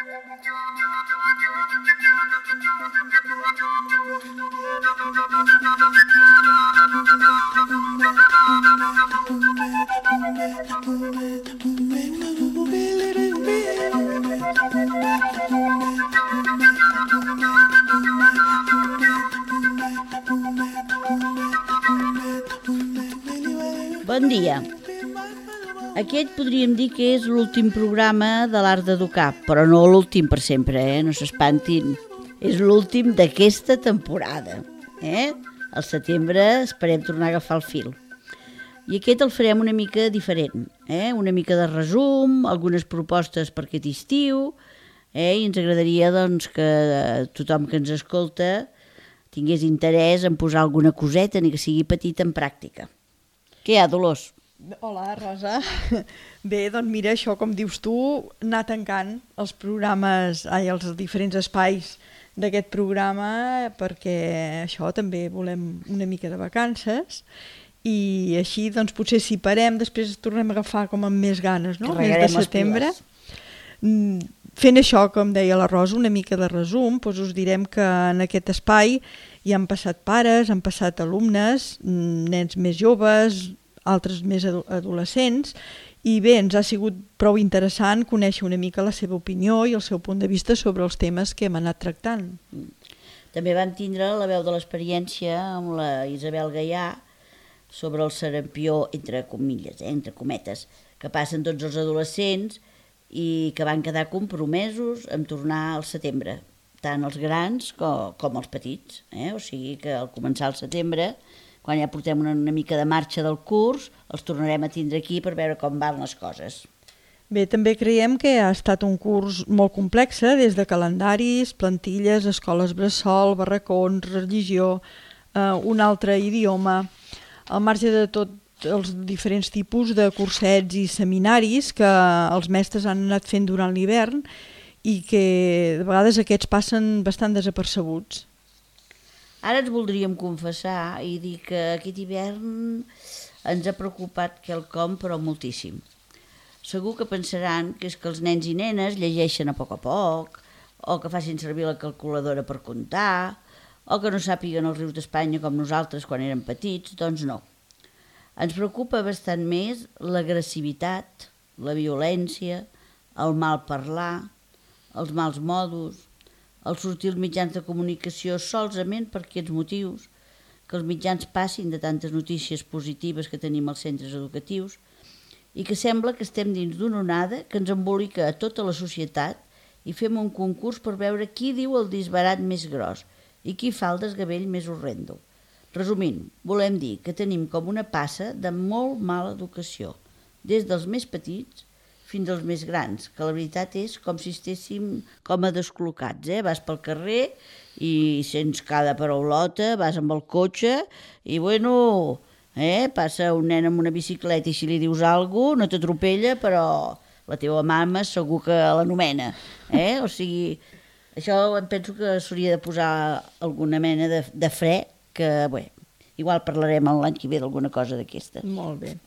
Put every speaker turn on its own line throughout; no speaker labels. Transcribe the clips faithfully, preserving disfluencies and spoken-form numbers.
Bon dia. Aquest podríem dir que és l'últim programa de l'Art d'Educar, però no l'últim per sempre, eh? No s'espantin. És l'últim d'aquesta temporada. Eh? Al setembre esperem tornar a agafar el fil. I aquest el farem una mica diferent, eh? Una mica de resum, algunes propostes per aquest estiu, eh? I ens agradaria doncs, que tothom que ens escolta tingués interès en posar alguna coseta, ni que sigui petita, en pràctica. Què hi ha, Dolors?
Hola, Rosa. Bé, doncs mira, això, com dius tu, anar tancant els programes, ai, els diferents espais d'aquest programa, perquè això també volem una mica de vacances, i així, doncs, potser si parem, després tornem a agafar com amb més ganes, no? Mes de setembre. Fent això, com deia la Rosa, una mica de resum, doncs us direm que en aquest espai hi han passat pares, han passat alumnes, nens més joves, altres més adolescents, i bé, ens ha sigut prou interessant conèixer una mica la seva opinió i el seu punt de vista sobre els temes que hem anat tractant.
També vam tindre la veu de l'experiència amb la Isabel Gaià sobre el sarampió, entre comilles, eh, entre cometes, que passen tots els adolescents i que van quedar compromesos en tornar al setembre, tant els grans com, com els petits. Eh? O sigui que al començar el setembre, quan ja portem una, una mica de marxa del curs, els tornarem a tindre aquí per veure com van les coses.
Bé, també creiem que ha estat un curs molt complex, des de calendaris, plantilles, escoles bressol, barracons, religió, eh, un altre idioma, al marge de tot els diferents tipus de cursets i seminaris que els mestres han anat fent durant l'hivern i que de vegades aquests passen bastant desapercebuts.
Ara ens voldríem confessar i dir que aquest hivern ens ha preocupat quelcom, però moltíssim. Segur que pensaran que és que els nens i nenes llegeixen a poc a poc, o que facin servir la calculadora per comptar, o que no sàpiguen els rius d'Espanya com nosaltres quan érem petits. Doncs no. Ens preocupa bastant més l'agressivitat, la violència, el mal parlar, els mals modos, el sortir als mitjans de comunicació solament per aquests motius, que els mitjans passin de tantes notícies positives que tenim als centres educatius i que sembla que estem dins d'una onada que ens embolica a tota la societat i fem un concurs per veure qui diu el disbarat més gros i qui fa el desgavell més horrendo. Resumint, volem dir que tenim com una passa de molt mala educació, des dels més petits fins als més grans, que la veritat és com si estéssim com a descol·locats. Eh? Vas pel carrer i sents cada paraulota, vas amb el cotxe i, bueno, eh? Passa un nen amb una bicicleta i si li dius alguna cosa no t'atropella, però la teva mama segur que l'anomena. Eh? O sigui, això em penso que s'hauria de posar alguna mena de, de fre, que, bé, igual parlarem l'any que ve d'alguna cosa d'aquestes.
Molt bé.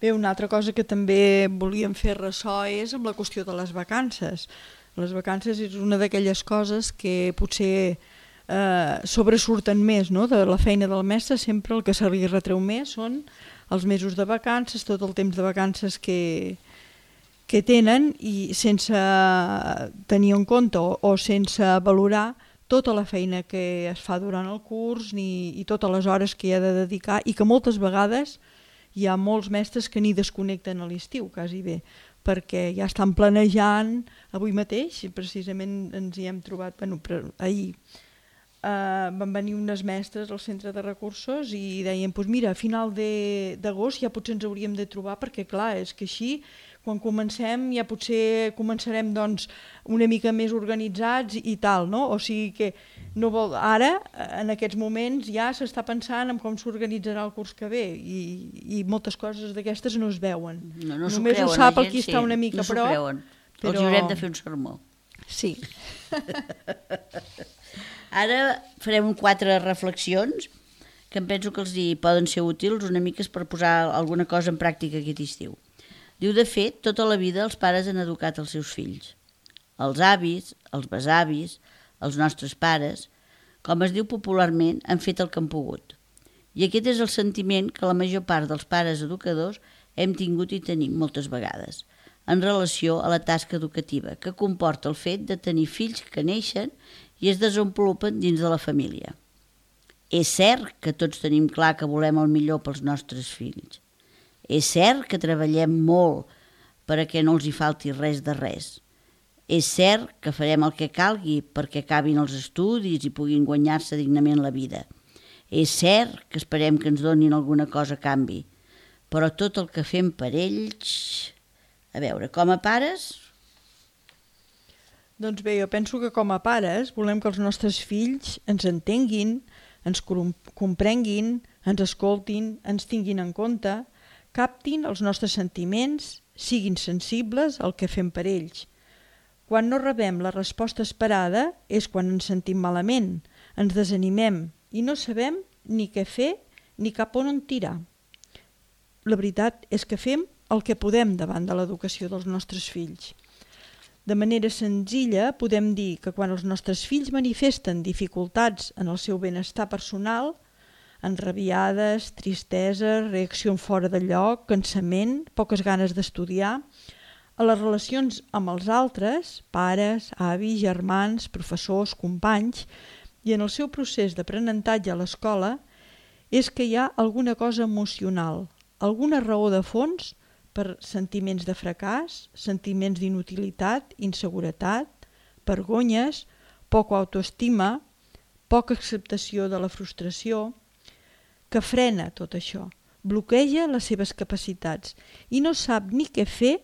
Bé, una altra cosa que també volíem fer ressò és amb la qüestió de les vacances. Les vacances és una d'aquelles coses que potser eh, sobresurten més, no? De la feina del mestre, sempre el que se li retreu més són els mesos de vacances, tot el temps de vacances que, que tenen i sense tenir en compte o, o sense valorar tota la feina que es fa durant el curs ni, i totes les hores que hi ha de dedicar i que moltes vegades hi ha molts mestres que ni desconnecten a l'estiu, quasi bé, perquè ja estan planejant. Avui mateix, precisament ens hi hem trobat, bueno, ahir eh, van venir unes mestres al centre de recursos i deien, doncs mira, a final d'agost ja potser ens hauríem de trobar perquè clar, és que així quan comencem ja potser començarem doncs, una mica més organitzats i tal, no? O sigui que no vol... ara, en aquests moments, ja s'està pensant en com s'organitzarà el curs que ve i, i moltes coses d'aquestes no es veuen.
No, no
Només
creuen,
ho sap el
gent,
qui està una mica
no
a prop.
Creuen. Però... els haurem de fer un sermó.
Sí.
Ara farem quatre reflexions que em penso que els hi poden ser útils una mica per posar alguna cosa en pràctica aquest estiu. Diu, de fet, tota la vida els pares han educat els seus fills. Els avis, els besavis, els nostres pares, com es diu popularment, han fet el que han pogut. I aquest és el sentiment que la major part dels pares educadors hem tingut i tenim moltes vegades, en relació a la tasca educativa, que comporta el fet de tenir fills que neixen i es desenvolupen dins de la família. És cert que tots tenim clar que volem el millor pels nostres fills. És cert que treballem molt perquè no els hi falti res de res. És cert que farem el que calgui perquè acabin els estudis i puguin guanyar-se dignament la vida. És cert que esperem que ens donin alguna cosa a canvi, però tot el que fem per ells... A veure, com a pares...
Doncs bé, jo penso que com a pares volem que els nostres fills ens entenguin, ens comprenguin, ens escoltin, ens tinguin en compte, captin els nostres sentiments, siguin sensibles al que fem per ells. Quan no rebem la resposta esperada és quan ens sentim malament, ens desanimem i no sabem ni què fer ni cap on en tirar. La veritat és que fem el que podem davant de l'educació dels nostres fills. De manera senzilla podem dir que quan els nostres fills manifesten dificultats en el seu benestar personal, enrabiades, tristesa, reacció fora de lloc, cansament, poques ganes d'estudiar, a les relacions amb els altres, pares, avis, germans, professors, companys, i en el seu procés d'aprenentatge a l'escola, és que hi ha alguna cosa emocional, alguna raó de fons per sentiments de fracàs, sentiments d'inutilitat, inseguretat, vergonyes, poca autoestima, poca acceptació de la frustració, que frena tot això, bloqueja les seves capacitats i no sap ni què fer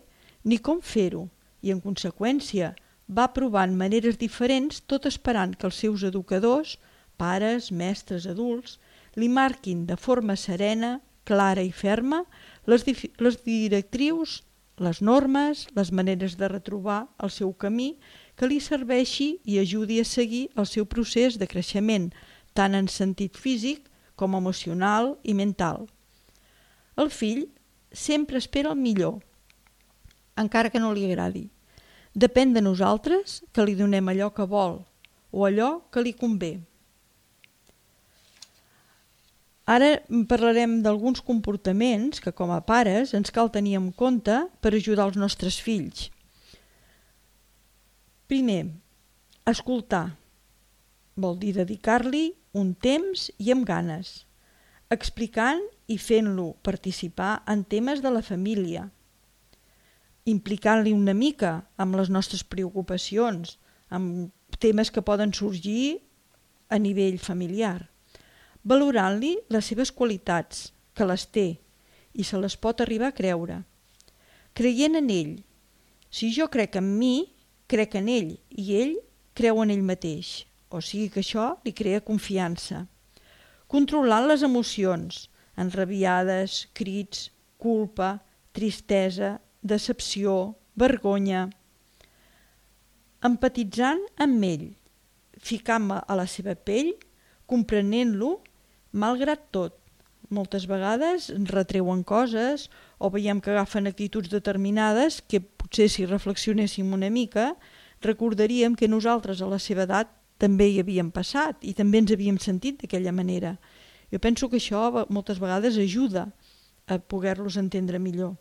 ni com fer-ho, i en conseqüència va provant maneres diferents tot esperant que els seus educadors, pares, mestres, adults, li marquin de forma serena, clara i ferma les, les directrius, les normes, les maneres de retrobar el seu camí que li serveixi i ajudi a seguir el seu procés de creixement, tant en sentit físic com emocional i mental. El fill sempre espera el millor, encara que no li agradi. Depèn de nosaltres que li donem allò que vol o allò que li convé. Ara parlarem d'alguns comportaments que com a pares ens cal tenir en compte per ajudar els nostres fills. Primer, escoltar. Vol dir dedicar-li un temps i amb ganes, explicant i fent-lo participar en temes de la família, implicant-li una mica amb les nostres preocupacions, amb temes que poden sorgir a nivell familiar, valorant-li les seves qualitats, que les té i se les pot arribar a creure, creient en ell. Si jo crec en mi, crec en ell i ell creu en ell mateix, o sigui que això li crea confiança. Controlant les emocions, enrabiades, crits, culpa, tristesa, decepció, vergonya. Empatitzant amb ell, ficant-me a la seva pell, comprenent-lo, malgrat tot. Moltes vegades ens retreuen coses o veiem que agafen actituds determinades que potser si reflexionéssim una mica recordaríem que nosaltres a la seva edat també hi havíem passat i també ens havíem sentit d'aquella manera. Jo penso que això moltes vegades ajuda a poder-los entendre millor.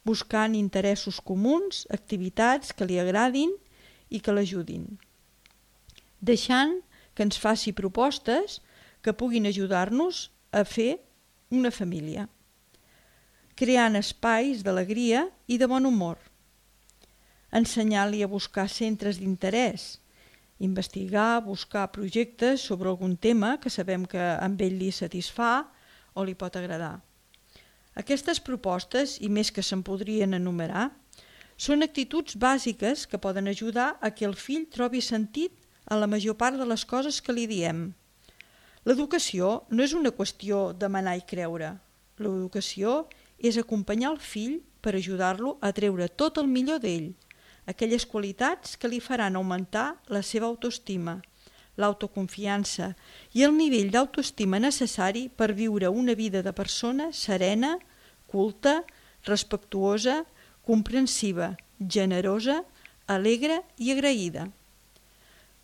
Buscant interessos comuns, activitats que li agradin i que l'ajudin. Deixant que ens faci propostes que puguin ajudar-nos a fer una família. Creant espais d'alegria i de bon humor. Ensenyar-li a buscar centres d'interès, investigar, buscar projectes sobre algun tema que sabem que amb ell li satisfà o li pot agradar. Aquestes propostes, i més que se'n podrien enumerar, són actituds bàsiques que poden ajudar a que el fill trobi sentit a la major part de les coses que li diem. L'educació no és una qüestió de manar i creure. L'educació és acompanyar el fill per ajudar-lo a treure tot el millor d'ell, aquelles qualitats que li faran augmentar la seva autoestima, l'autoconfiança i el nivell d'autoestima necessari per viure una vida de persona serena, culta, respectuosa, comprensiva, generosa, alegre i agraïda.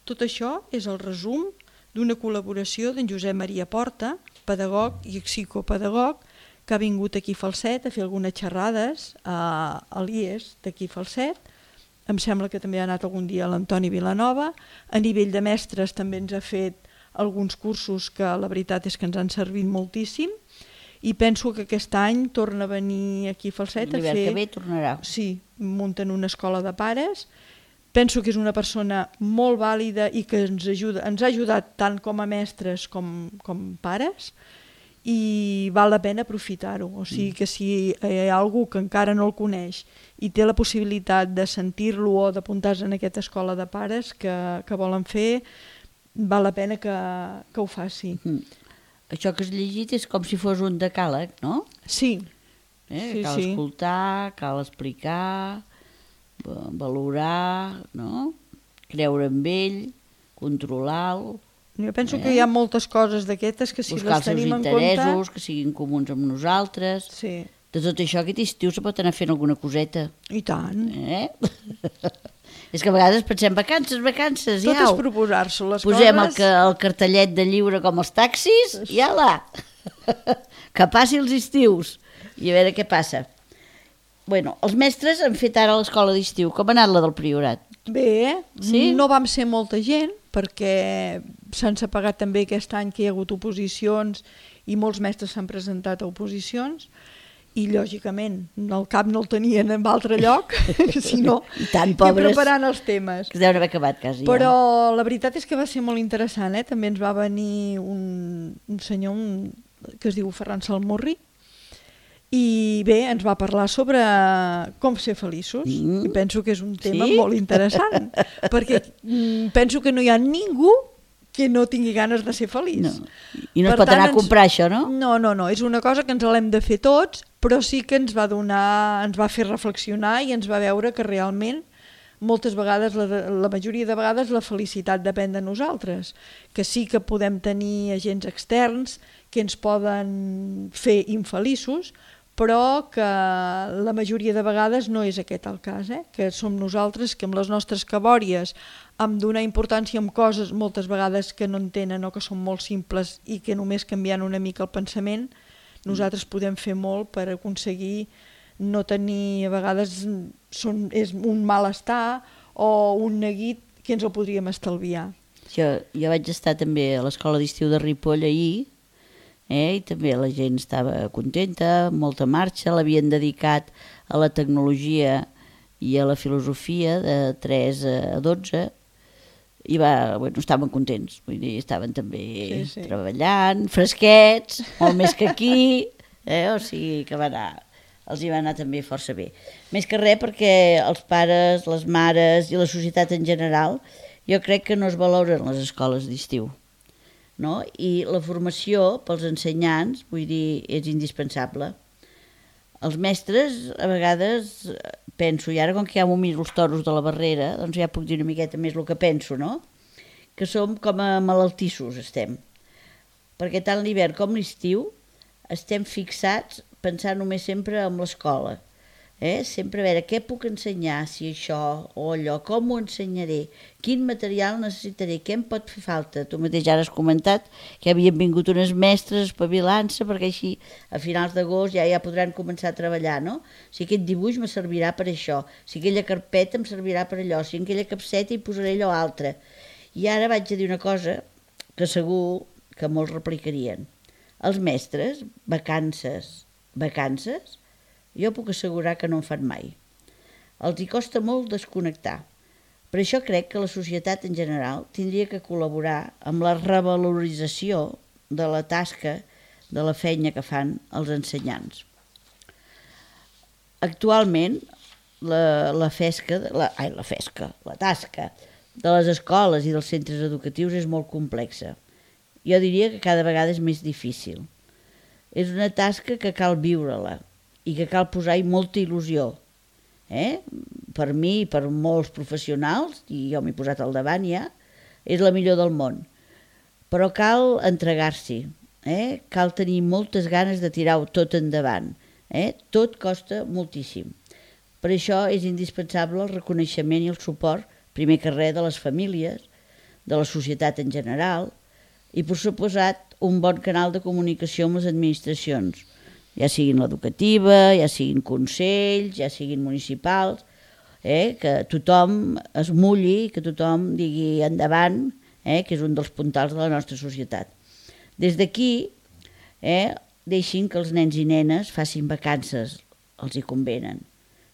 Tot això és el resum d'una col·laboració d'en Josep Maria Porta, pedagog i psicopedagog, que ha vingut aquí a Falset a fer algunes xerrades a, a l'I E S d'aquí a Falset. Em sembla que també ha anat algun dia a l'Antoni Vilanova. A nivell de mestres també ens ha fet alguns cursos que la veritat és que ens han servit moltíssim, i penso que aquest any torna a venir aquí a Falset a fer...
L'hivern que ve tornarà.
Sí, munten una escola de pares. Penso que és una persona molt vàlida i que ens, ajuda, ens ha ajudat tant com a mestres com, com pares, i val la pena aprofitar-ho. O sigui que si hi ha algú que encara no el coneix i té la possibilitat de sentir-lo o d'apuntar-se en aquesta escola de pares que, que volen fer, val la pena que, que ho faci.
Mm. Això que has llegit és com si fos un decàleg, no?
Sí.
Eh?
sí
cal
sí.
escoltar, cal explicar, valorar, no? Creure en ell, controlar-lo.
Jo penso
eh?
que hi ha moltes coses d'aquestes que si
buscar
les tenim en compte...
Buscar els seus interessos, que siguin comuns amb nosaltres.
Sí.
De tot això, aquest estiu se pot anar fent alguna coseta.
I tant.
Eh? És que a vegades pensem vacances, vacances,
Tot
ja
és proposar-s'ho les
posem
coses.
Posem el, el cartellet de lliure com els taxis i ala, que passi els estius i a veure què passa. Bueno, els mestres han fet ara l'escola d'estiu. Com ha anat la del Priorat?
Bé,
sí?
No vam ser molta gent perquè s'han separat també aquest any que hi ha hagut oposicions i molts mestres s'han presentat a oposicions, i lògicament el cap no el tenien en altre lloc, sinó
tant,
que preparant els temes.
Que deuen haver acabat quasi.
Però
ja.
La veritat és que va ser molt interessant, eh? També ens va venir un, un senyor un, que es diu Ferran Salmurri, i bé, ens va parlar sobre com ser feliços, mm. i penso que és un tema
sí?
molt interessant, perquè mm, penso que no hi ha ningú que no tingui ganes de ser feliç.
No. I no per es pot tant, anar a comprar ens... això, no?
No, no, no, és una cosa que ens l'hem de fer tots, però sí que ens va donar, ens va fer reflexionar i ens va veure que realment moltes vegades, la, la majoria de vegades, la felicitat depèn de nosaltres, que sí que podem tenir agents externs que ens poden fer infeliços, però que la majoria de vegades no és aquest el cas, eh? Que som nosaltres que amb les nostres cabòries, amb donar importància en coses moltes vegades que no entenen o que són molt simples i que només canviant una mica el pensament, nosaltres podem fer molt per aconseguir no tenir, a vegades són, és un malestar o un neguit que ens el podríem estalviar.
Jo, jo vaig estar també a l'escola d'estiu de Ripoll ahir, Eh, i també la gent estava contenta, molta marxa, l'havien dedicat a la tecnologia i a la filosofia de tres a dotze, i va, bueno, estaven contents, vull dir, estaven també sí, sí. treballant, fresquets, molt més que aquí, eh, o sigui que va anar, els hi va anar també força bé. Més que res perquè els pares, les mares i la societat en general, jo crec que no es valoren les escoles d'estiu. No? I la formació pels ensenyants, vull dir, és indispensable. Els mestres, a vegades, penso, i ara com que ja m'ho miro els toros de la Barrera, doncs ja puc dir una miqueta més el que penso, no? Que som com a malaltissos, estem. Perquè tant l'hivern com l'estiu estem fixats pensant només sempre en l'escola. Eh? Sempre a veure què puc ensenyar, si això o allò, com ho ensenyaré, quin material necessitaré, què em pot fer falta. Tu mateix ara has comentat que havien vingut unes mestres espavilant-se perquè així a finals d'agost ja ja podran començar a treballar, no? Si aquest dibuix me servirà per això, si aquella carpeta em servirà per allò, si en aquella capseta hi posaré allò altre. I ara vaig a dir una cosa que segur que molts replicarien. Els mestres, vacances, vacances, jo puc assegurar que no en fan mai. Els hi costa molt desconnectar. Per això crec que la societat en general tindria que col·laborar amb la revalorització de la tasca, de la feina que fan els ensenyants. Actualment, la, la fesca, la, ai, la fesca, la tasca de les escoles i dels centres educatius és molt complexa. Jo diria que cada vegada és més difícil. És una tasca que cal viure-la i que cal posar-hi molta il·lusió. Eh? Per mi i per molts professionals, i jo m'he posat al davant ja, és la millor del món. Però cal entregar-s'hi, eh? Cal tenir moltes ganes de tirar-ho tot endavant. Eh? Tot costa moltíssim. Per això és indispensable el reconeixement i el suport, primer que res, de les famílies, de la societat en general, i, per suposat, un bon canal de comunicació amb les administracions, ja siguin l'educativa, ja siguin consells, ja siguin municipals, eh? que tothom es mulli, que tothom digui endavant, eh? que és un dels puntals de la nostra societat. Des d'aquí, eh? deixin que els nens i nenes facin vacances, els hi convenen.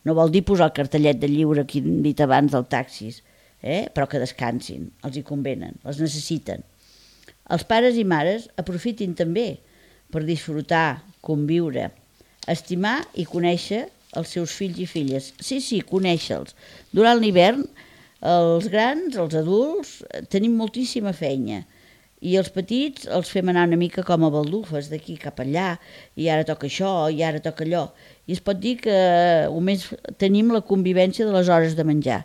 No vol dir posar el cartellet de lliure que hem dit abans del taxis, eh? però que descansin, els hi convenen, els necessiten. Els pares i mares aprofitin també per disfrutar, conviure, estimar i conèixer els seus fills i filles. Sí, sí, conèixer-los. Durant l'hivern, els grans, els adults, tenim moltíssima feina i els petits els fem anar una mica com a baldufes, d'aquí cap allà, i ara toca això, i ara toca allò. I es pot dir que només tenim la convivència de les hores de menjar.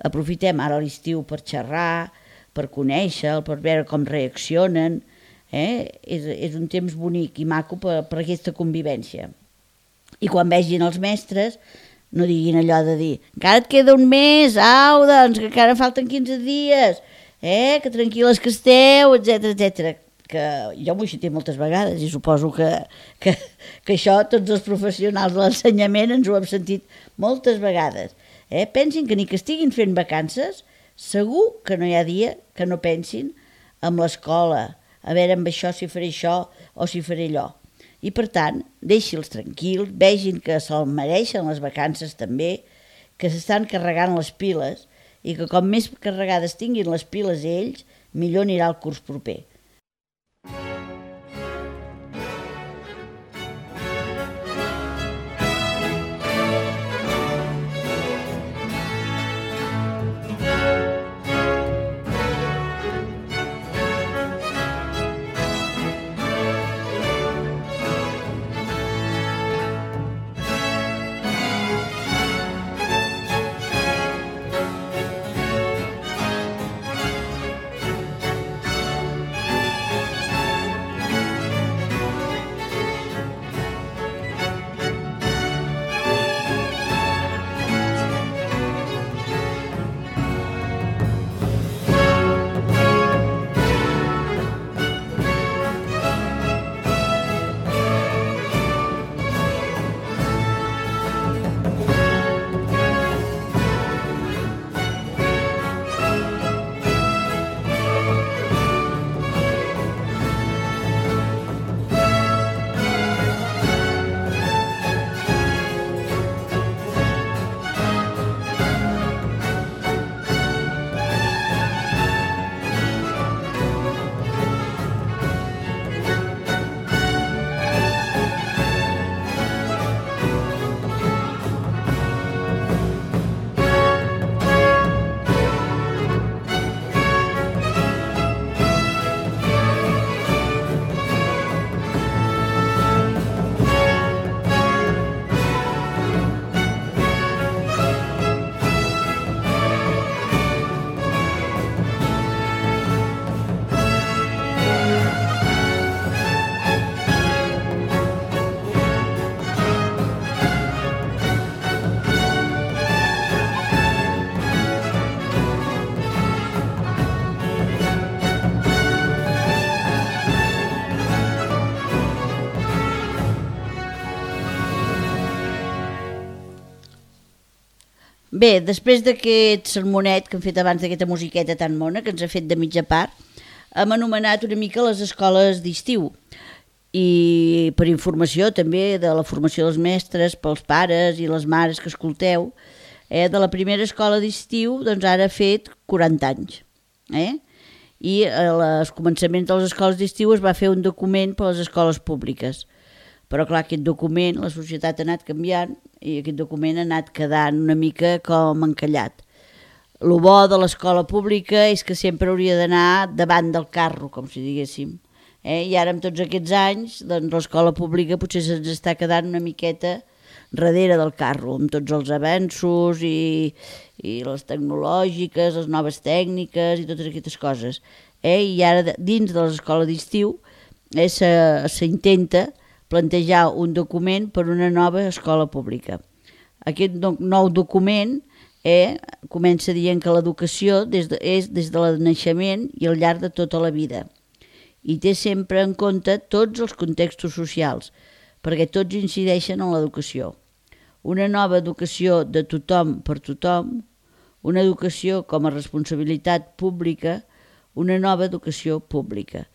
Aprofitem ara l'estiu per xerrar, per conèixer, per veure com reaccionen. Eh? És, és un temps bonic i maco per, per aquesta convivència. I quan vegin els mestres, no diguin allò de dir encara et queda un mes, au, doncs, que encara falten quinze dies, eh? que tranquil·les que esteu, etcètera, etcètera. Que jo m'ho he sentit moltes vegades i suposo que, que, que això tots els professionals de l'ensenyament ens ho hem sentit moltes vegades. Eh? Pensin que ni que estiguin fent vacances, segur que no hi ha dia que no pensin en l'escola, a veure amb això si faré això o si faré allò. I per tant, deixi'ls tranquils, vegin que se'l mereixen les vacances també, que s'estan carregant les piles i que com més carregades tinguin les piles ells, millor anirà el curs proper. Bé, després d'aquest sermonet que hem fet abans, d'aquesta musiqueta tan mona que ens ha fet de mitja part, hem anomenat una mica les escoles d'estiu. I per informació també de la formació dels mestres, pels pares i les mares que escolteu, eh, de la primera escola d'estiu, doncs ara ha fet quaranta anys. Eh? I als començaments de les escoles d'estiu es va fer un document per a les escoles públiques. Però clar, aquest document, la societat ha anat canviant i aquest document ha anat quedant una mica com encallat. Lo bo de l'escola pública és que sempre hauria d'anar davant del carro, com si diguéssim. Eh? I ara, amb tots aquests anys, doncs, l'escola pública potser se'ns està quedant una miqueta darrere del carro, amb tots els avenços i, i les tecnològiques, les noves tècniques i totes aquestes coses. Eh? I ara, dins de l'escola d'estiu, eh, s'intenta plantejar un document per una nova escola pública. Aquest nou document eh, comença dient que l'educació des de, és des del naixement i al llarg de tota la vida i té sempre en compte tots els contextos socials, perquè tots incideixen en l'educació. Una nova educació de tothom per tothom, una educació com a responsabilitat pública, una nova educació pública.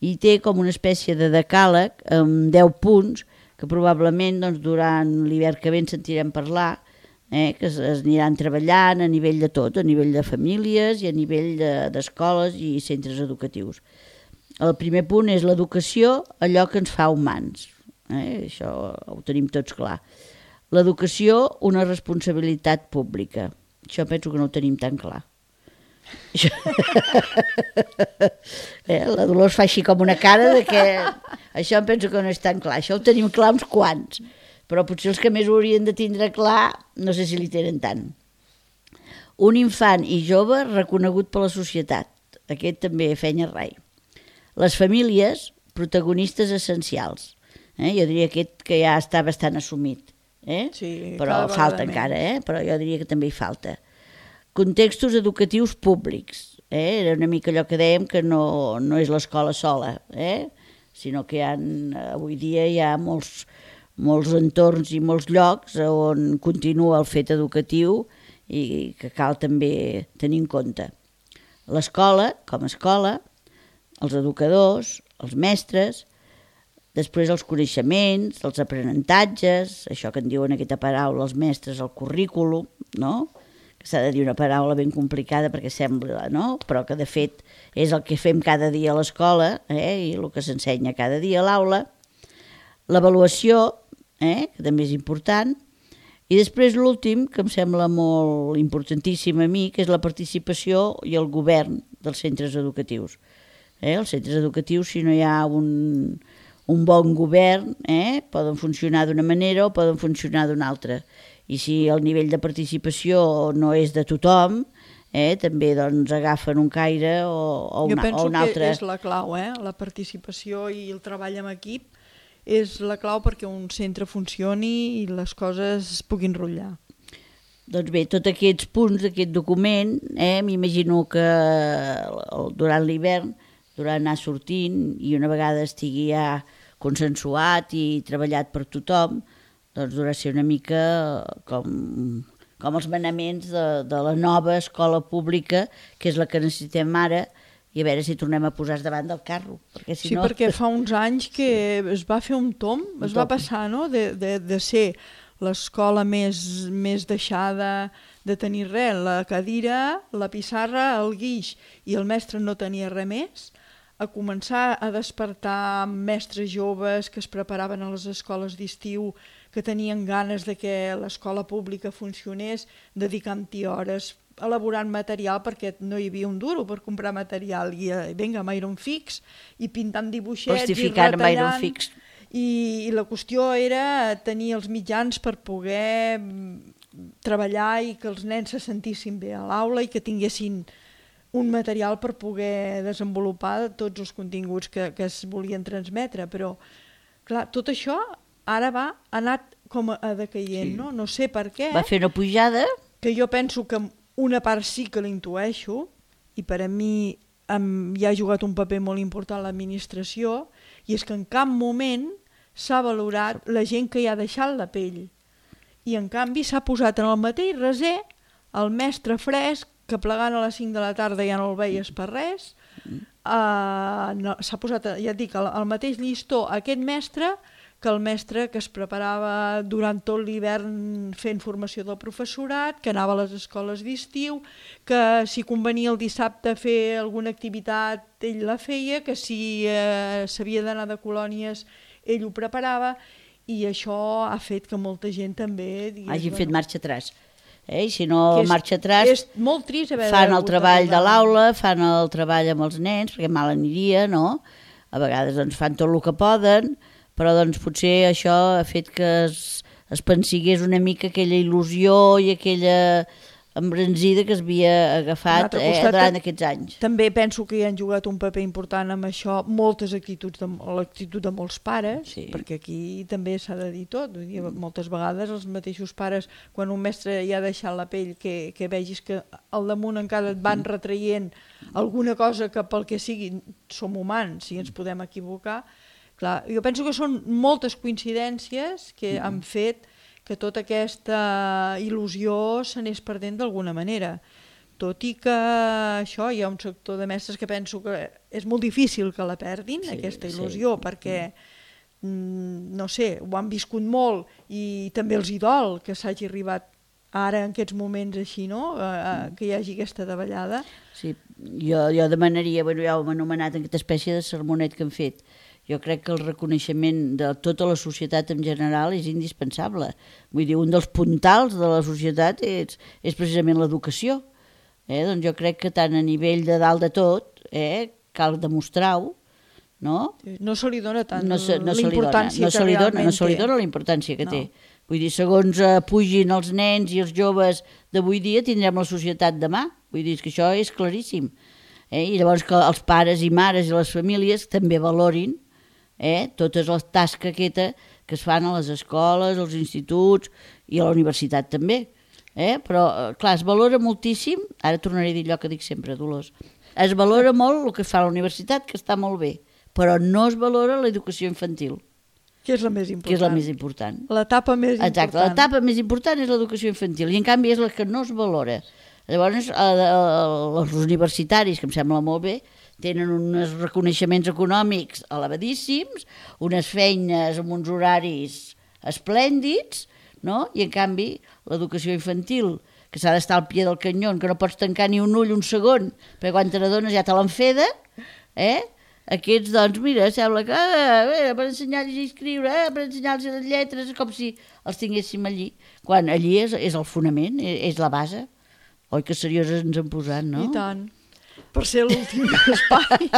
I té com una espècie de decàleg amb deu punts que probablement doncs, durant l'hivern que ve en sentirem parlar, eh, que es, es aniran treballant a nivell de tot, a nivell de famílies i a nivell d'escoles de, i centres educatius. El primer punt és l'educació, allò que ens fa humans. Eh? Això ho tenim tots clar. L'educació, una responsabilitat pública. Això penso que no ho tenim tan clar. eh? La Dolors fa així com una cara de que això em penso que no és tan clar. Això ho tenim clar uns quants, però potser els que més ho haurien de tindre clar no sé si li tenen tant. Un infant i jove reconegut per la societat. Aquest també fenya rai. Les famílies, protagonistes essencials. Eh? Jo diria aquest que ja està bastant assumit. Eh?
Sí,
però falta encara, eh? Però jo diria que també hi falta. Contextos educatius públics. Eh? Era una mica allò que dèiem que no, no és l'escola sola, eh? Sinó que hi ha, avui dia hi ha molts, molts entorns i molts llocs on continua el fet educatiu i que cal també tenir en compte. L'escola, com a escola, els educadors, els mestres, després els coneixements, els aprenentatges, això que en diuen aquesta paraula els mestres, el currículum, no? Que s'ha de dir una paraula ben complicada perquè sembla, no? Però que de fet és el que fem cada dia a l'escola, eh? I el que s'ensenya cada dia a l'aula. L'avaluació, eh? Que també és important. I després l'últim, que em sembla molt importantíssim a mi, que és la participació i el govern dels centres educatius. Eh? Els centres educatius, si no hi ha un, un bon govern, eh? Poden funcionar d'una manera o poden funcionar d'una altra. I si el nivell de participació no és de tothom, eh? També doncs, agafen un caire o, o, una, o un altre.
Jo penso que és la clau, eh? La participació i el treball en equip és la clau perquè un centre funcioni i les coses es puguin rotllar.
Doncs bé, tots aquests punts d'aquest document, eh? M'imagino que durant l'hivern durant anar sortint i una vegada estigui ja consensuat i treballat per tothom, doncs durà ser una mica com, com els manaments de, de la nova escola pública, que és la que necessitem ara, i a veure si tornem a posar davant del carro. Perquè si
sí,
no...
perquè fa uns anys que es va fer un tom, un es va tom. passar no? de, de, de ser l'escola més, més deixada, de tenir res, la cadira, la pissarra, el guix, i el mestre no tenia res més, a començar a despertar mestres joves que es preparaven a les escoles d'estiu, que tenien ganes de que l'escola pública funcionés, dedicant-hi hores, elaborant material, perquè no hi havia un duro per comprar material, i vinga, amb iron fix, i pintant dibuixets, i retallant, i, i la qüestió era tenir els mitjans per poder treballar i que els nens se sentissin bé a l'aula i que tinguessin un material per poder desenvolupar tots els continguts que, que es volien transmetre, però clar, tot això ara va ha anat com a decaient, sí. no? No sé per què.
Va fer una pujada.
Que jo penso que una part sí que l'intueixo, i per a mi em, hi ha jugat un paper molt important l'administració, i és que en cap moment s'ha valorat la gent que hi ha deixat la pell. I en canvi s'ha posat en el mateix raser el mestre fresc que plegant a les cinc de la tarda ja no el veies per res, uh, no, s'ha posat, ja et dic, al, al mateix llistó aquest mestre que el mestre que es preparava durant tot l'hivern fent formació del professorat, que anava a les escoles d'estiu, que si convenia el dissabte fer alguna activitat ell la feia, que si eh, s'havia d'anar de colònies ell ho preparava, i això ha fet que molta gent també digués,
hagin
bueno,
fet marxa atràs. Eh? Si no
és,
marxa atràs,
és molt trist haver
fan el treball de l'aula, fan el treball amb els nens, perquè mal aniria, no? A vegades doncs, fan tot el que poden, però doncs, potser això ha fet que es, es pensigués una mica aquella il·lusió i aquella embranzida que s'havia agafat eh,
costat,
durant aquests anys.
També penso que hi han jugat un paper important amb això moltes actituds, de, l'actitud de molts pares, sí. perquè aquí també s'ha de dir tot. Vull dir, moltes vegades els mateixos pares, quan un mestre ja ha deixat la pell, que, que vegis que al damunt encara et van retraient alguna cosa que pel que sigui som humans, si ens podem equivocar. Clar, jo penso que són moltes coincidències que mm. han fet que tota aquesta il·lusió s'anés perdent d'alguna manera. Tot i que això hi ha un sector de mestres que penso que és molt difícil que la perdin, sí, aquesta il·lusió, sí. perquè, mm, no sé, ho han viscut molt i també els hi dol que s'hagi arribat ara en aquests moments així, no?, uh, que hi hagi aquesta davallada.
Sí, jo, jo demanaria, bueno, ja ho hem anomenat, aquesta espècie de sermonet que han fet. Jo crec que el reconeixement de tota la societat en general és indispensable. Vull dir, un dels puntals de la societat és, és precisament l'educació. Eh? Doncs jo crec que tant a nivell de dalt de tot, eh, cal demostrar-ho, no?
No se li dona tant
no se, no
la importància
no
que realment té.
No se li dona la importància que
no.
té. Vull dir, segons eh, pugin els nens i els joves d'avui dia, tindrem la societat demà. Vull dir, que això és claríssim. Eh? I llavors que els pares i mares i les famílies també valorin Eh, totes les tasques aquesta que es fan a les escoles, als instituts i a la universitat també. Eh? Però, clar, es valora moltíssim, ara tornaré a dir allò que dic sempre, Dolors, es valora molt el que fa a la universitat, que està molt bé, però no es valora l'educació infantil.
Que és la més important.
Que és la més important.
L'etapa més important.
Exacte, l'etapa més important és l'educació infantil, i en canvi és la que no es valora. Llavors, els universitaris, que em sembla molt bé, tenen uns reconeixements econòmics elevadíssims, unes feines amb uns horaris esplèndids, no? I en canvi l'educació infantil, que s'ha d'estar al pie del canyó, que no pots tancar ni un ull un segon, perquè quan te n'adones ja te l'enfeda, eh? Aquests, doncs, mira, sembla que eh, per ensenyar a llegir i escriure, eh, per ensenyar-los les lletres, és com si els tinguéssim allí, quan allí és, és el fonament, és, és la base. Oi que serioses ens han posat, no?
I tant. Per ser l'últim espai.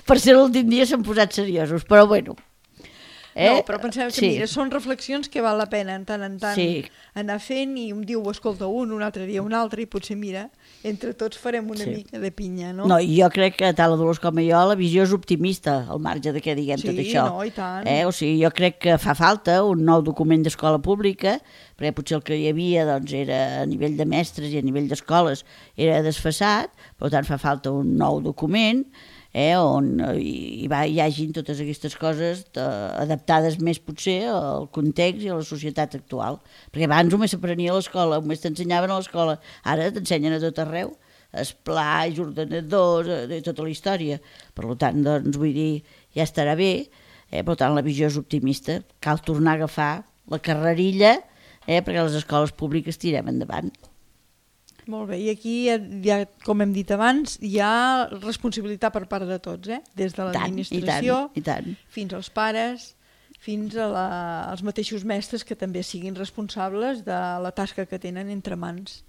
Per ser l'últim dia s'han posat seriosos, però bueno.
Eh? No, però pensem que sí. Mira, són reflexions que val la pena en tant en tant
sí.
anar fent, i un dia ho escolta un, un altre dia un altre, i potser, mira, entre tots farem una sí. mica de pinya, no?
No, i jo crec que tant la Dolors com jo, la visió és optimista, al marge de què diguem
sí,
tot això.
Sí, no, i tant.
Eh? O sigui, jo crec que fa falta un nou document d'escola pública, perquè potser el que hi havia doncs, era a nivell de mestres i a nivell d'escoles era desfasat, per tant fa falta un nou document, eh, on hi, va, hi hagin totes aquestes coses eh, adaptades més potser al context i a la societat actual. Perquè abans només s'aprenia a l'escola, només t'ensenyaven a l'escola, ara t'ensenyen a tot arreu, esplais, ordenadors, eh, tota la història. Per tant, doncs, vull dir, ja estarà bé, eh, per tant, la visió és optimista. Cal tornar a agafar la carrerilla, eh, perquè les escoles públiques tirem endavant.
Molt bé, i aquí, ja, com hem dit abans, hi ha responsabilitat per part de tots, eh? Des de l'administració fins als pares, fins a la, als mateixos mestres, que també siguin responsables de la tasca que tenen entre mans.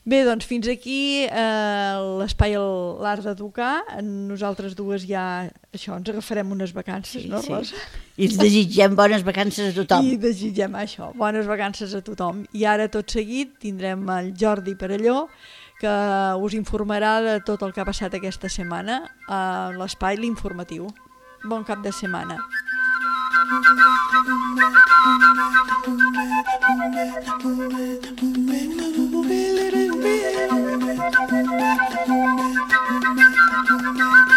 Bé, doncs fins aquí eh, l'espai l'art d'educar. Nosaltres dues ja, això, ens agafarem unes vacances, sí, no, Rosa?
Sí. I ens desitgem bones vacances a tothom.
I desitgem això, bones vacances a tothom. I ara, tot seguit, tindrem el Jordi Perelló, que us informarà de tot el que ha passat aquesta setmana a l'espai l'informatiu. Bon cap de setmana. Thank you.